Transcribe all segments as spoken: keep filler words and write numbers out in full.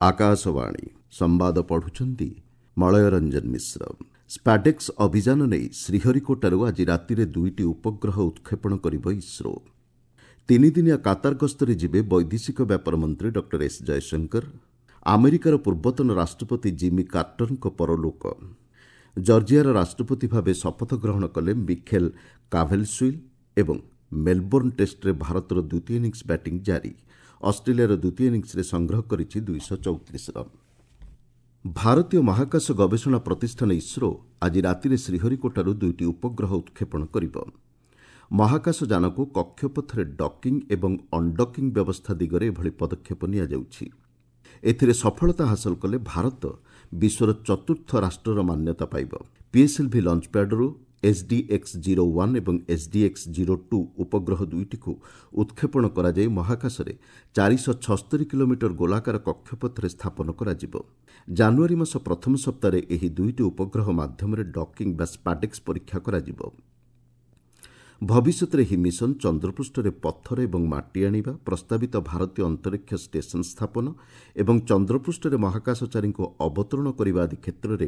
ଆକାଶବାଣୀ ସମ୍ବାଦ ପଢୁଛନ୍ତି ମଳୟ ରଞ୍ଜନ ମିଶ୍ର। ସ୍ପାଡେକ୍ସ ଅଭିଯାନ ନେଇ ଶ୍ରୀହରିକୋଟାରୁ ଆଜି ରାତିରେ ଦୁଇଟି ଉପଗ୍ରହ ଉତ୍କ୍ଷେପଣ କରିବ ଇସ୍ରୋ। ତିନିଦିନିଆ କାତାର ଗସ୍ତରେ ଯିବେ ବୈଦେଶିକ ବ୍ୟାପାର ମନ୍ତ୍ରୀ ଡକ୍ଟର ଏସ୍ ଜୟଶଙ୍କର। ଆମେରିକାର ପୂର୍ବତନ ରାଷ୍ଟ୍ରପତି ଜିମି କାର୍ଟରଙ୍କ ପରଲୋକ। ଜର୍ଜିଆର ରାଷ୍ଟ୍ରପତି ଭାବେ ଶପଥ ଗ୍ରହଣ କଲେ ମିଖେଲ କାଭେଲସୁଇଲ୍ ଏବଂ ମେଲବୋର୍ଣ୍ଣ ଟେଷ୍ଟରେ ଭାରତର ଦ୍ୱିତୀୟ ଇନିଂସ ବ୍ୟାଟିଂ ଜାରି। ଅଷ୍ଟ୍ରେଲିଆର ଦ୍ୱିତୀୟ ଇନିଂସରେ ସଂଗ୍ରହ କରିଛି ଦୁଇଶହ ଚଉତିରିଶ ରନ୍। ଭାରତୀୟ ମହାକାଶ ଗବେଷଣା ପ୍ରତିଷ୍ଠାନ ଇସ୍ରୋ ଆଜି ରାତିରେ ଶ୍ରୀହରିକୋଟାରୁ ଦୁଇଟି ଉପଗ୍ରହ ଉତ୍କ୍ଷେପଣ କରିବ। ମହାକାଶ ଯାନକୁ କକ୍ଷପଥରେ ଡକିଂ ଏବଂ ଅନ୍ଡକିଂ ବ୍ୟବସ୍ଥା ଦିଗରେ ଏଭଳି ପଦକ୍ଷେପ ନିଆଯାଉଛି। ଏଥିରେ ସଫଳତା ହାସଲ କଲେ ଭାରତ ବିଶ୍ୱର ଚତୁର୍ଥ ରାଷ୍ଟ୍ରର ମାନ୍ୟତା ପାଇବ। ପିଏସ୍ଏଲ୍ଭି ଲଞ୍ଚପ୍ୟାଡରୁ ଏସ୍ଡିଏକ୍ସ ଜିରୋ ୱାନ୍ ଏବଂ ଏସ୍ଡିଏକ୍ସ ଜିରୋ ଟୁ ଉପଗ୍ରହ ଦୁଇଟିକୁ ଉତ୍କ୍ଷେପଣ କରାଯାଇ ମହାକାଶରେ ଚାରିଶହ ଛସ୍ତରୀ କିଲୋମିଟର ଗୋଲାକାର କକ୍ଷପଥରେ ସ୍ଥାପନ କରାଯିବ। ଜାନୁଆରୀ ମାସ ପ୍ରଥମ ସପ୍ତାହରେ ଏହି ଦୁଇଟି ଉପଗ୍ରହ ମାଧ୍ୟମରେ ଡକିଂ ବା ସ୍ପାଡେକ୍ସ ପରୀକ୍ଷା କରାଯିବ। ଭବିଷ୍ୟତରେ ଏହି ମିଶନ ଚନ୍ଦ୍ରପୃଷ୍ଠରେ ପଥର ଏବଂ ମାଟି ଆଣିବା, ପ୍ରସ୍ତାବିତ ଭାରତୀୟ ଅନ୍ତରୀକ୍ଷ ଷ୍ଟେସନ ସ୍ଥାପନ ଏବଂ ଚନ୍ଦ୍ରପୃଷ୍ଠରେ ମହାକାଶଚାରୀଙ୍କୁ ଅବତରଣ କରିବା ଆଦି କ୍ଷେତ୍ରରେ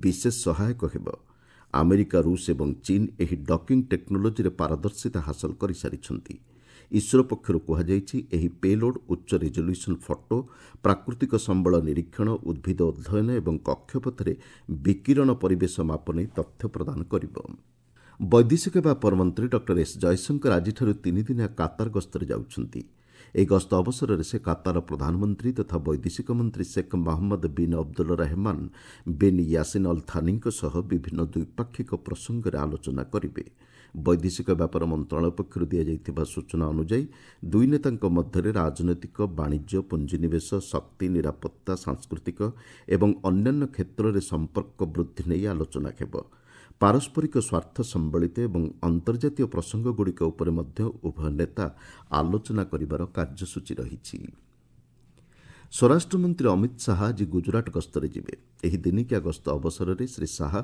ବିଶେଷ ସହାୟକ ହେବ। ଆମେରିକା, ରୁଷ ଏବଂ ଚୀନ୍ ଏହି ଡକିଂ ଟେକ୍ନୋଲୋଜିରେ ପାରଦର୍ଶିତା ହାସଲ କରିସାରିଛନ୍ତି। ଇସ୍ରୋ ପକ୍ଷରୁ କୁହାଯାଇଛି, ଏହି ପେଲୋଡ୍ ଉଚ୍ଚ ରିଜଲ୍ୟୁସନ୍ ଫଟୋ, ପ୍ରାକୃତିକ ସମ୍ବଳ ନିରୀକ୍ଷଣ, ଉଦ୍ଭିଦ ଅଧ୍ୟୟନ ଏବଂ କକ୍ଷପଥରେ ବିକିରଣ ପରିବେଶ ମାପ ନେଇ ତଥ୍ୟ ପ୍ରଦାନ କରିବ। ବୈଦେଶିକ ବ୍ୟାପାର ମନ୍ତ୍ରୀ ଡକ୍ଟର ଏସ୍ ଜୟଶଙ୍କର ଆଜିଠାରୁ ତିନିଦିନିଆ କାତାର ଗସ୍ତରେ ଯାଉଛନ୍ତି। ଏହି ଗସ୍ତ ଅବସରରେ ସେ କାତାରର ପ୍ରଧାନମନ୍ତ୍ରୀ ତଥା ବୈଦେଶିକ ମନ୍ତ୍ରୀ Sheikh Mohammed bin Abdul Rahman bin Jassim Al ଥାନିଙ୍କ ସହ ବିଭିନ୍ନ ଦ୍ୱିପାକ୍ଷିକ ପ୍ରସଙ୍ଗରେ ଆଲୋଚନା କରିବେ। ବୈଦେଶିକ ବ୍ୟାପାର ମନ୍ତ୍ରଣାଳୟ ପକ୍ଷରୁ ଦିଆଯାଇଥିବା ସୂଚନା ଅନୁଯାୟୀ ଦୁଇ ନେତାଙ୍କ ମଧ୍ୟରେ ରାଜନୈତିକ, ବାଣିଜ୍ୟ, ପୁଞ୍ଜିନିବେଶ, ଶକ୍ତି, ନିରାପତ୍ତା, ସାଂସ୍କୃତିକ ଏବଂ ଅନ୍ୟାନ୍ୟ କ୍ଷେତ୍ରରେ ସମ୍ପର୍କ ବୃଦ୍ଧି ନେଇ ଆଲୋଚନା ହେବ। ପାରସ୍ପରିକ ସ୍ୱାର୍ଥ ସମ୍ବଳିତ ଏବଂ ଅନ୍ତର୍ଜାତୀୟ ପ୍ରସଙ୍ଗଗୁଡ଼ିକ ଉପରେ ମଧ୍ୟ ଉଭୟ ନେତା ଆଲୋଚନା କରିବାର କାର୍ଯ୍ୟସୂଚୀ ରହିଛି। ସ୍ୱରାଷ୍ଟ୍ରମନ୍ତ୍ରୀ ଅମିତ ଶାହା ଆଜି ଗୁଜରାଟ ଗସ୍ତରେ ଯିବେ। ଏହି ଦିନିକିଆ ଗସ୍ତ ଅବସରରେ ଶ୍ରୀ ଶାହା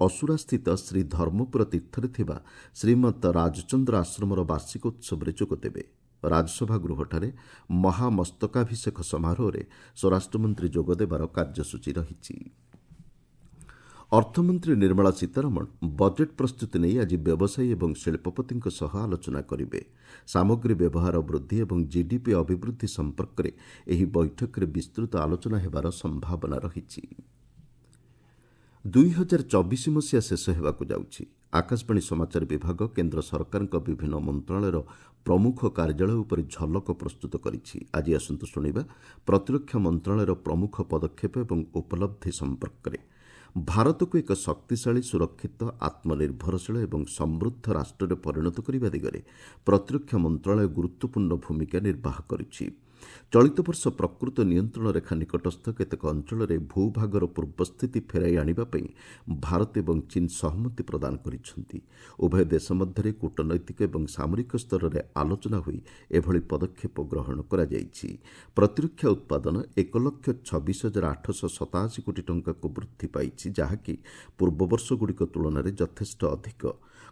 ଅସୁରାସ୍ଥିତ ଶ୍ରୀ ଧର୍ମପୁର ତୀର୍ଥରେ ଥିବା ଶ୍ରୀମନ୍ତ ରାଜଚନ୍ଦ୍ର ଆଶ୍ରମର ବାର୍ଷିକ ଉତ୍ସବରେ ଯୋଗଦେବେ। ରାଜସଭା ଗୃହଠାରେ ମହାମସ୍ତକାଭିଷେକ ସମାରୋହରେ ସ୍ୱରାଷ୍ଟ୍ରମନ୍ତ୍ରୀ ଯୋଗଦେବାର କାର୍ଯ୍ୟସୂଚୀ ରହିଛି। ଅର୍ଥମନ୍ତ୍ରୀ ନିର୍ମଳା ସୀତାରମଣ ବଜେଟ୍ ପ୍ରସ୍ତୁତି ନେଇ ଆଜି ବ୍ୟବସାୟୀ ଏବଂ ଶିଳ୍ପପତିଙ୍କ ସହ ଆଲୋଚନା କରିବେ। ସାମଗ୍ରୀ ବ୍ୟବହାର ବୃଦ୍ଧି ଏବଂ ଜିଡିପି ଅଭିବୃଦ୍ଧି ସମ୍ପର୍କରେ ଏହି ବୈଠକରେ ବିସ୍ତୃତ ଆଲୋଚନା ହେବାର ସମ୍ଭାବନା ରହିଛି। ଦୁଇ ହଜାର ଚବିଶ ମସିହା ଶେଷ ହେବାକୁ ଯାଉଛି। ଆକାଶବାଣୀ ସମାଚାର ବିଭାଗ କେନ୍ଦ୍ର ସରକାରଙ୍କ ବିଭିନ୍ନ ମନ୍ତ୍ରଣାଳୟର ପ୍ରମୁଖ କାର୍ଯ୍ୟାଳୟ ଉପରେ ଝଲକ ପ୍ରସ୍ତୁତ କରିଛି। ଆଜି ଆସନ୍ତୁ ଶୁଣିବା ପ୍ରତିରକ୍ଷା ମନ୍ତ୍ରଣାଳୟର ପ୍ରମୁଖ ପଦକ୍ଷେପ ଏବଂ ଉପଲବ୍ଧି ସମ୍ପର୍କରେ। ଭାରତକୁ ଏକ ଶକ୍ତିଶାଳୀ, ସୁରକ୍ଷିତ, ଆତ୍ମନିର୍ଭରଶୀଳ ଏବଂ ସମୃଦ୍ଧ ରାଷ୍ଟ୍ରରେ ପରିଣତ କରିବା ଦିଗରେ ପ୍ରତିରକ୍ଷା ମନ୍ତ୍ରଣାଳୟ ଗୁରୁତ୍ୱପୂର୍ଣ୍ଣ ଭୂମିକା ନିର୍ବାହ କରିଛି। ଚଳିତ ବର୍ଷ ପ୍ରକୃତ ନିୟନ୍ତ୍ରଣ ରେଖା ନିକଟସ୍ଥ କେତେକ ଅଞ୍ଚଳରେ ଭୂଭାଗର ପୂର୍ବସ୍ଥିତି ଫେରାଇ ଆଣିବା ପାଇଁ ଭାରତ ଏବଂ ଚୀନ୍ ସହମତି ପ୍ରଦାନ କରିଛନ୍ତି। ଉଭୟ ଦେଶ ମଧ୍ୟରେ କୂଟନୈତିକ ଏବଂ ସାମରିକ ସ୍ତରରେ ଆଲୋଚନା ହୋଇ ଏଭଳି ପଦକ୍ଷେପ ଗ୍ରହଣ କରାଯାଇଛି। ପ୍ରତିରକ୍ଷା ଉତ୍ପାଦନ ଏକ ଲକ୍ଷ ଛବିଶ ହଜାର ଆଠଶହ ସତାଅଶୀ କୋଟି ଟଙ୍କାକୁ ବୃଦ୍ଧି ପାଇଛି, ଯାହାକି ପୂର୍ବ ବର୍ଷଗୁଡ଼ିକ ତୁଳନାରେ ଯଥେଷ୍ଟ ଅଧିକ।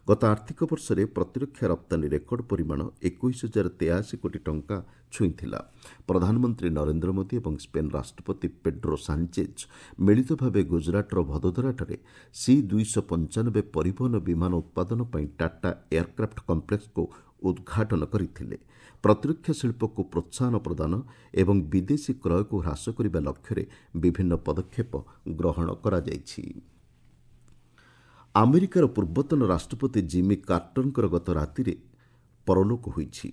ଗତ ଆର୍ଥିକ ବର୍ଷରେ ପ୍ରତିରକ୍ଷା ରପ୍ତାନୀ ରେକର୍ଡ ପରିମାଣ ଏକୋଇଶ ହଜାର ତେୟାଅଶୀ କୋଟି ଟଙ୍କା ଛୁଇଁଥିଲା। ପ୍ରଧାନମନ୍ତ୍ରୀ ନରେନ୍ଦ୍ର ମୋଦି ଏବଂ ସ୍ପେନ୍ ରାଷ୍ଟ୍ରପତି ପେଡ୍ରୋ ସାଞ୍ଚେଜ୍ ମିଳିତ ଭାବେ ଗୁଜରାଟର ଭଦୋଦରାଠାରେ ସି ଦୁଇଶହ ପଞ୍ଚାନବେ ପରିବହନ ବିମାନ ଉତ୍ପାଦନ ପାଇଁ ଟାଟା ଏୟାରକ୍ରାଫ୍ଟ କମ୍ପ୍ଲେକ୍ସକୁ ଉଦ୍ଘାଟନ କରିଥିଲେ। ପ୍ରତିରକ୍ଷା ଶିଳ୍ପକୁ ପ୍ରୋତ୍ସାହନ ପ୍ରଦାନ ଏବଂ ବିଦେଶୀ କ୍ରୟକୁ ହ୍ରାସ କରିବା ଲକ୍ଷ୍ୟରେ ବିଭିନ୍ନ ପଦକ୍ଷେପ ଗ୍ରହଣ କରାଯାଇଛି। ଆମେରିକାର ପୂର୍ବତନ ରାଷ୍ଟ୍ରପତି ଜିମି କାର୍ଟରଙ୍କର ଗତ ରାତିରେ ପରଲୋକ ହୋଇଛି।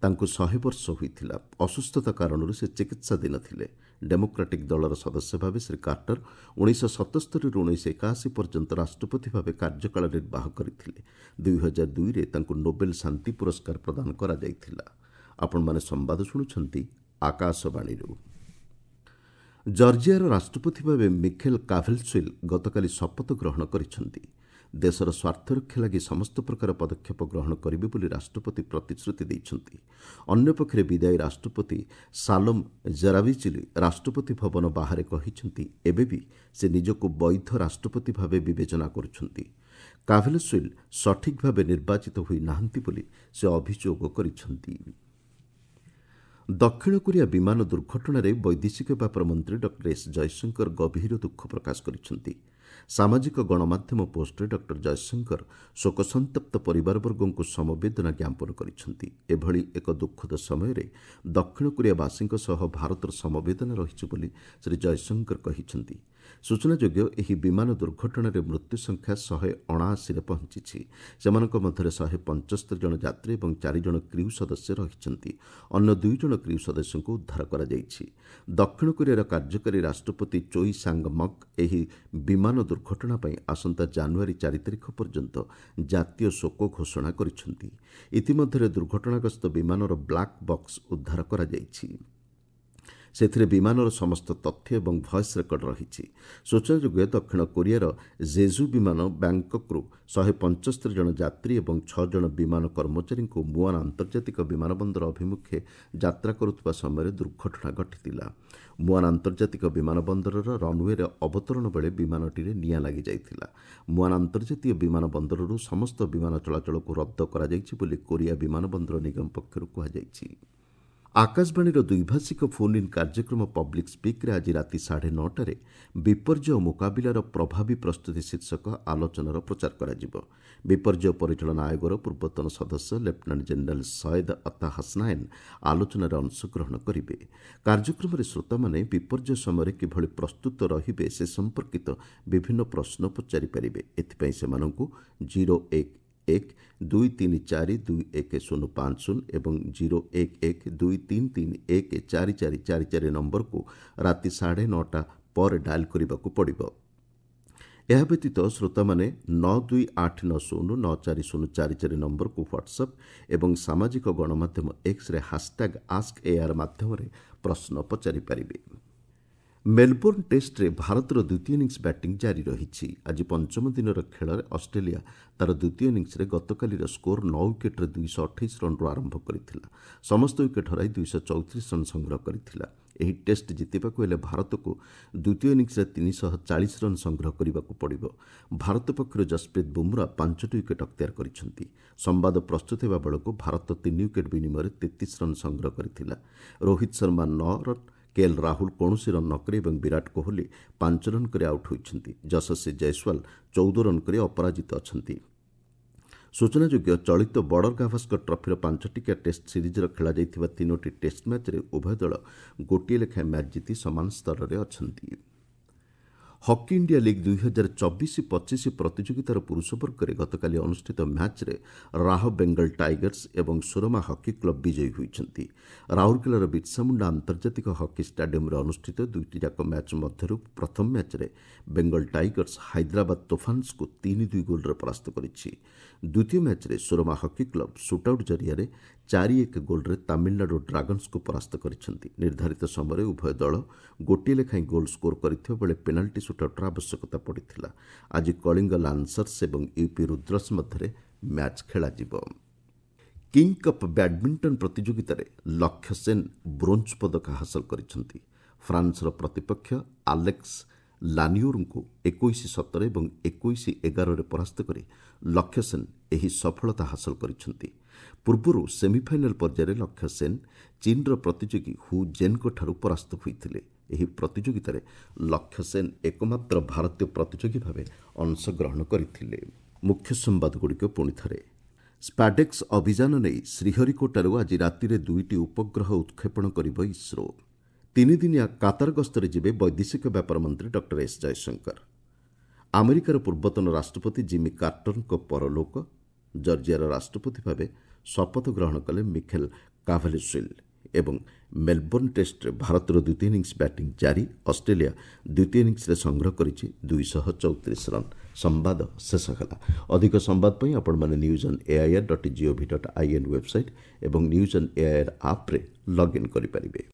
ତାଙ୍କୁ ଶହେ ବର୍ଷ ହୋଇଥିଲା। ଅସୁସ୍ଥତା କାରଣରୁ ସେ ଚିକିତ୍ସାଧୀନ ଥିଲେ। ଡେମୋକ୍ରାଟିକ୍ ଦଳର ସଦସ୍ୟ ଭାବେ ଶ୍ରୀ କାର୍ଟର ଉଣେଇଶହ ସତସ୍ତରୀରୁ ଉଣେଇଶହ ଏକାଅଶୀ ପର୍ଯ୍ୟନ୍ତ ରାଷ୍ଟ୍ରପତି ଭାବେ କାର୍ଯ୍ୟକାଳ ନିର୍ବାହ କରିଥିଲେ। ଦୁଇ ହଜାର ଦୁଇରେ ତାଙ୍କୁ ନୋବେଲ ଶାନ୍ତି ପୁରସ୍କାର ପ୍ରଦାନ କରାଯାଇଥିଲା। ଆପଣମାନେ ସମ୍ବାଦ ଶୁଣୁଛନ୍ତି ଆକାଶବାଣୀରୁ। ଜର୍ଜିଆର ରାଷ୍ଟ୍ରପତି ଭାବେ ମିଖେଲ କାଭେଲସୁଇଲ୍ ଗତକାଲି ଶପଥ ଗ୍ରହଣ କରିଛନ୍ତି। ଦେଶର ସ୍ୱାର୍ଥରକ୍ଷା ଲାଗି ସମସ୍ତ ପ୍ରକାର ପଦକ୍ଷେପ ଗ୍ରହଣ କରିବେ ବୋଲି ରାଷ୍ଟ୍ରପତି ପ୍ରତିଶ୍ରୁତି ଦେଇଛନ୍ତି। ଅନ୍ୟପକ୍ଷରେ ବିଦାୟୀ ରାଷ୍ଟ୍ରପତି ସାଲୋମ ଜେରାବିଚିଲି ରାଷ୍ଟ୍ରପତି ଭବନ ବାହାରେ କହିଛନ୍ତି, ଏବେ ବି ସେ ନିଜକୁ ବୈଧ ରାଷ୍ଟ୍ରପତି ଭାବେ ବିବେଚନା କରୁଛନ୍ତି। କାଭେଲସୁଇଲ୍ ସଠିକ୍ ଭାବେ ନିର୍ବାଚିତ ହୋଇନାହାନ୍ତି ବୋଲି ସେ ଅଭିଯୋଗ କରିଛନ୍ତି। ଦକ୍ଷିଣ କୋରିଆ ବିମାନ ଦୁର୍ଘଟଣାରେ ବୈଦେଶିକ ବ୍ୟାପାର ମନ୍ତ୍ରୀ ଡକ୍ଟର ଏସ୍ ଜୟଶଙ୍କର ଗଭୀର ଦୁଃଖ ପ୍ରକାଶ କରିଛନ୍ତି। ସାମାଜିକ ଗଣମାଧ୍ୟମ ପୋଷ୍ଟରେ ଡକ୍ଟର ଜୟଶଙ୍କର ଶୋକସନ୍ତପ୍ତ ପରିବାରବର୍ଗଙ୍କୁ ସମବେଦନା ଜ୍ଞାପନ କରିଛନ୍ତି। ଏଭଳି ଏକ ଦୁଃଖଦ ସମୟରେ ଦକ୍ଷିଣ କୋରିଆବାସୀଙ୍କ ସହ ଭାରତର ସମବେଦନା ରହିଛି ବୋଲି ଶ୍ରୀ ଜୟଶଙ୍କର କହିଛନ୍ତି। ସୂଚନାଯୋଗ୍ୟ, ଏହି ବିମାନ ଦୁର୍ଘଟଣାରେ ମୃତ୍ୟୁ ସଂଖ୍ୟା ଶହେ ଅଣାଅଶୀରେ ପହଞ୍ଚିଛି। ସେମାନଙ୍କ ମଧ୍ୟରେ ଶହେ ପଞ୍ଚସ୍ତରୀ ଜଣ ଯାତ୍ରୀ ଏବଂ ଚାରି ଜଣ କ୍ରିଉ ସଦସ୍ୟ ରହିଛନ୍ତି। ଅନ୍ୟ ଦୁଇ ଜଣ କ୍ରିଉ ସଦସ୍ୟଙ୍କୁ ଉଦ୍ଧାର କରାଯାଇଛି। ଦକ୍ଷିଣ କୋରିଆର କାର୍ଯ୍ୟକାରୀ ରାଷ୍ଟ୍ରପତି ଚୋଇ ସାଙ୍ଗ ମକ୍ ଏହି ବିମାନ ଦୁର୍ଘଟଣା ପାଇଁ ଆସନ୍ତା ଜାନୁଆରୀ ଚାରି ତାରିଖ ପର୍ଯ୍ୟନ୍ତ ଜାତୀୟ ଶୋକ ଘୋଷଣା କରିଛନ୍ତି। ଇତିମଧ୍ୟରେ ଦୁର୍ଘଟଣାଗ୍ରସ୍ତ ବିମାନର ବ୍ଲାକ୍ ବକ୍ସ ଉଦ୍ଧାର କରାଯାଇଛି। ସେଥିରେ ବିମାନର ସମସ୍ତ ତଥ୍ୟ ଏବଂ ଭଏସ୍ ରେକର୍ଡ ରହିଛି। ସୂଚନାଯୋଗ୍ୟ, ଦକ୍ଷିଣ କୋରିଆର ଜେଜୁ ବିମାନ ବ୍ୟାଙ୍କକ୍ରୁ ଶହେ ପଞ୍ଚସ୍ତରୀ ଜଣ ଯାତ୍ରୀ ଏବଂ ଛଅ ଜଣ ବିମାନ କର୍ମଚାରୀଙ୍କୁ ମୁଆନ୍ ଆନ୍ତର୍ଜାତିକ ବିମାନ ବନ୍ଦର ଅଭିମୁଖେ ଯାତ୍ରା କରୁଥିବା ସମୟରେ ଦୁର୍ଘଟଣା ଘଟିଥିଲା। ମୁଆନ୍ ଆନ୍ତର୍ଜାତିକ ବିମାନ ବନ୍ଦରର ରନ୍ୱେରେ ଅବତରଣ ବେଳେ ବିମାନଟିରେ ନିଆଁ ଲାଗିଯାଇଥିଲା। ମୁଆନ୍ ଆନ୍ତର୍ଜାତୀୟ ବିମାନ ବନ୍ଦରରୁ ସମସ୍ତ ବିମାନ ଚଳାଚଳକୁ ରଦ୍ଦ କରାଯାଇଛି ବୋଲି କୋରିଆ ବିମାନ ବନ୍ଦର ନିଗମ ପକ୍ଷରୁ କୁହାଯାଇଛି। ଆକାଶବାଣୀର ଦ୍ୱିଭାଷିକ ଫୋନ୍ ଇନ୍ କାର୍ଯ୍ୟକ୍ରମ ପବ୍ଲିକ୍ ସ୍ପିକ୍ରେ ଆଜି ରାତି ସାଢ଼େ ନଅଟାରେ ବିପର୍ଯ୍ୟୟ ମୁକାବିଲାର ପ୍ରଭାବୀ ପ୍ରସ୍ତୁତି ଶୀର୍ଷକ ଆଲୋଚନାର ପ୍ରଚାର କରାଯିବ। ବିପର୍ଯ୍ୟୟ ପରିଚାଳନା ଆୟୋଗର ପୂର୍ବତନ ସଦସ୍ୟ ଲେଫ୍ଟନାଣ୍ଟ ଜେନେରାଲ ସୟେଦ ଅତା ହସନାୟନ ଆଲୋଚନାରେ ଅଂଶଗ୍ରହଣ କରିବେ। କାର୍ଯ୍ୟକ୍ରମରେ ଶ୍ରୋତାମାନେ ବିପର୍ଯ୍ୟୟ ସମୟରେ କିଭଳି ପ୍ରସ୍ତୁତ ରହିବେ ସେ ସମ୍ପର୍କିତ ବିଭିନ୍ନ ପ୍ରଶ୍ନ ପଚାରିପାରିବେ। ଏଥିପାଇଁ ସେମାନଙ୍କୁ ଜିରୋ ଏକ ଏକ ଦୁଇ ତିନି ଚାରି ଦୁଇ ଏକ ଶୂନ ପାଞ୍ଚ ଶୂନ ଏବଂ ଜିରୋ ଏକ ଏକ ଦୁଇ ତିନି ତିନି ଏକ ଚାରି ଚାରି ଚାରି ଚାରି ନମ୍ବରକୁ ରାତି ସାଢ଼େ ନଅଟା ପରେ ଡାଏଲ୍ କରିବାକୁ ପଡ଼ିବ। ଏହା ବ୍ୟତୀତ ଶ୍ରୋତାମାନେ ନଅ ଦୁଇ ଆଠ ନଅ ଶୂନ ନଅ ଚାରି ଶୂନ ଚାରି ଚାରି ନମ୍ବରକୁ ହ୍ୱାଟ୍ସଆପ୍ ଏବଂ ସାମାଜିକ ଗଣମାଧ୍ୟମ ଏକ୍ସରେ ହାସଟ୍ୟାଗ୍ ଆସ୍କ ଏଆର୍ ମାଧ୍ୟମରେ ପ୍ରଶ୍ନ ପଚାରିପାରିବେ। ମେଲବୋର୍ଣ୍ଣ ଟେଷ୍ଟରେ ଭାରତର ଦ୍ୱିତୀୟ ଇନିଂସ ବ୍ୟାଟିଂ ଜାରି ରହିଛି। ଆଜି ପଞ୍ଚମ ଦିନର ଖେଳରେ ଅଷ୍ଟ୍ରେଲିଆ ତା'ର ଦ୍ୱିତୀୟ ଇନିଂସରେ ଗତକାଲିର ସ୍କୋର ନଅ ୱିକେଟ୍ରେ ଦୁଇଶହ ଅଠେଇଶ ରନ୍ରୁ ଆରମ୍ଭ କରିଥିଲା। ସମସ୍ତ ୱିକେଟ୍ ହରାଇ ଦୁଇଶହ ଚଉତିରିଶ ରନ୍ ସଂଗ୍ରହ କରିଥିଲା। ଏହି ଟେଷ୍ଟ ଜିତିବାକୁ ହେଲେ ଭାରତକୁ ଦ୍ୱିତୀୟ ଇନିଂସରେ ତିନିଶହ ଚାଳିଶ ରନ୍ ସଂଗ୍ରହ କରିବାକୁ ପଡ଼ିବ। ଭାରତ ପକ୍ଷରୁ ଯଶପ୍ରୀତ ବୁମ୍ରା ପାଞ୍ଚଟି ୱିକେଟ୍ ଅକ୍ତିଆର କରିଛନ୍ତି। ସମ୍ବାଦ ପ୍ରସ୍ତୁତ ହେବା ବେଳକୁ ଭାରତ ତିନି ୱିକେଟ୍ ବିନିମୟରେ ତେତିଶ ରନ୍ ସଂଗ୍ରହ କରିଥିଲା। ରୋହିତ ଶର୍ମା ନଅ ରନ୍, କେଏଲ୍ ରାହୁଲ କୌଣସି ରନ୍ ନ କରି ଏବଂ ବିରାଟ କୋହଲି ପାଞ୍ଚ ରନ୍ କରି ଆଉଟ୍ ହୋଇଛନ୍ତି। ଯଶସ୍ୱୀ ଜୟସ୍ୱାଲ ଚଉଦ ରନ୍ କରି ଅପରାଜିତ ଅଛନ୍ତି। ସୂଚନାଯୋଗ୍ୟ, ଚଳିତ ବର୍ଡର ଗାଭାସ୍କର ଟ୍ରଫିର ପାଞ୍ଚଟିକିଆ ଟେଷ୍ଟ ସିରିଜ୍ର ଖେଳାଯାଇଥିବା ତିନୋଟି ଟେଷ୍ଟ ମ୍ୟାଚ୍ରେ ଉଭୟ ଦଳ ଗୋଟିଏ ଲେଖାଏଁ ମ୍ୟାଚ୍ ଜିତି ସମାନ ସ୍ତରରେ ଅଛନ୍ତି। ହକି ଇଣ୍ଡିଆ ଲିଗ୍ ଦୁଇ ହଜାର ଚବିଶ ପଚିଶ ପ୍ରତିଯୋଗିତାର ପୁରୁଷ ବର୍ଗରେ ଗତକାଲି ଅନୁଷ୍ଠିତ ମ୍ୟାଚ୍ରେ ରାହ ବେଙ୍ଗଲ ଟାଇଗର୍ସ ଏବଂ ସୁରମା ହକି କ୍ଲବ୍ ବିଜୟୀ ହୋଇଛନ୍ତି। ରାଉରକେଲାର ବିର୍ସାମୁଣ୍ଡା ଆନ୍ତର୍ଜାତିକ ହକି ଷ୍ଟାଡିୟମ୍ରେ ଅନୁଷ୍ଠିତ ଦୁଇଟି ଯାକ ମ୍ୟାଚ୍ ମଧ୍ୟରୁ ପ୍ରଥମ ମ୍ୟାଚ୍ରେ ବେଙ୍ଗଲ ଟାଇଗର୍ସ ହାଇଦ୍ରାବାଦ ତୋଫାନ୍ସକୁ ତିନି ଦୁଇ ଗୋଲ୍ରେ ପରାସ୍ତ କରିଛି। ଦ୍ୱିତୀୟ ମ୍ୟାଚ୍ରେ ସୁରମା ହକି କ୍ଲବ୍ ସୁଟ୍ଆଉଟ୍ ଜରିଆରେ ଚାରି ଏକ ଗୋଲ୍ରେ ତାମିଲନାଡୁ ଡ୍ରାଗନ୍ସକୁ ପରାସ୍ତ କରିଛନ୍ତି। ନିର୍ଦ୍ଧାରିତ ସମୟରେ ଉଭୟ ଦଳ ଗୋଟିଏ ଲେଖାଏଁ ଗୋଲ୍ ସ୍କୋର କରିଥିବା ବେଳେ ପେନାଲ୍ଟି ସୁଟ୍ଆଉଟ୍ର ଆବଶ୍ୟକତା ପଡ଼ିଥିଲା। ଆଜି କଳିଙ୍ଗ ଲାନ୍ସର୍ସ ଏବଂ ୟୁପି ରୁଦ୍ରସ୍ ମଧ୍ୟରେ ମ୍ୟାଚ୍ ଖେଳାଯିବ। କିଙ୍ଗ କପ୍ ବ୍ୟାଡମିଣ୍ଟନ ପ୍ରତିଯୋଗିତାରେ ଲକ୍ଷ୍ୟ ସେନ୍ ବ୍ରୋଞ୍ଜ ପଦକ ହାସଲ କରିଛନ୍ତି। ଫ୍ରାନ୍ସର ପ୍ରତିପକ୍ଷ ଆଲେକ୍ସ ଲାନିଓରଙ୍କୁ ଏକୋଇଶ ସତର ଏବଂ ଏକୋଇଶ ଏଗାରରେ ପରାସ୍ତ କରି ଲକ୍ଷ୍ୟ ସେନ୍ ଏହି ସଫଳତା ହାସଲ କରିଛନ୍ତି। ପୂର୍ବରୁ ସେମିଫାଇନାଲ ପର୍ଯ୍ୟାୟରେ ଲକ୍ଷ୍ୟ ସେନ୍ ଚୀନ୍ର ପ୍ରତିଯୋଗୀ ହୁ ଜେନ୍ଙ୍କଠାରୁ ପରାସ୍ତ ହୋଇଥିଲେ। ଏହି ପ୍ରତିଯୋଗିତାରେ ଲକ୍ଷ୍ୟ ସେନ୍ ଏକମାତ୍ର ଭାରତୀୟ ପ୍ରତିଯୋଗୀ ଭାବେ ଅଂଶଗ୍ରହଣ କରିଥିଲେ। ମୁଖ୍ୟ ସମ୍ବାଦଗୁଡ଼ିକ ପୁଣି ଥରେ। ସ୍ପାଡେକ୍ସ ଅଭିଯାନ ନେଇ ଶ୍ରୀହରିକୋଟାରୁ ଆଜି ରାତିରେ ଦୁଇଟି ଉପଗ୍ରହ ଉତ୍କ୍ଷେପଣ କରିବ ଇସ୍ରୋ। ତିନିଦିନିଆ କାତାର ଗସ୍ତରେ ଯିବେ ବୈଦେଶିକ ବ୍ୟାପାର ମନ୍ତ୍ରୀ ଡକ୍ଟର ଏସ୍ ଜୟଶଙ୍କର। ଆମେରିକାର ପୂର୍ବତନ ରାଷ୍ଟ୍ରପତି ଜିମି କାର୍ଟରଙ୍କ ପରଲୋକ। ଜର୍ଜିଆର ରାଷ୍ଟ୍ରପତି ଭାବେ ଶପଥ ଗ୍ରହଣ କଲେ ମିଖେଲ କାଭାଲିସ୍ୱିଲ୍। ଏବଂ ମେଲବୋର୍ଣ୍ଣ ଟେଷ୍ଟରେ ଭାରତର ଦ୍ୱିତୀୟ ଇନିଂସ ବ୍ୟାଟିଂ ଜାରି। ଅଷ୍ଟ୍ରେଲିଆ ଦ୍ୱିତୀୟ ଇନିଂସରେ ସଂଗ୍ରହ କରିଛି ଦୁଇଶହ ଚଉତିରିଶ ରନ୍। ସମ୍ବାଦ ଶେଷ ହେଲା। ଅଧିକ ସମ୍ବାଦ ପାଇଁ ଆପଣମାନେ news on AIR dot GOV dot IN website ଏବଂ ନ୍ୟୁଜ୍ ଅନ୍ ଏଆଇଆର୍ ଆପ୍ରେ ଲଗ୍ଇନ୍ କରିପାରିବେ।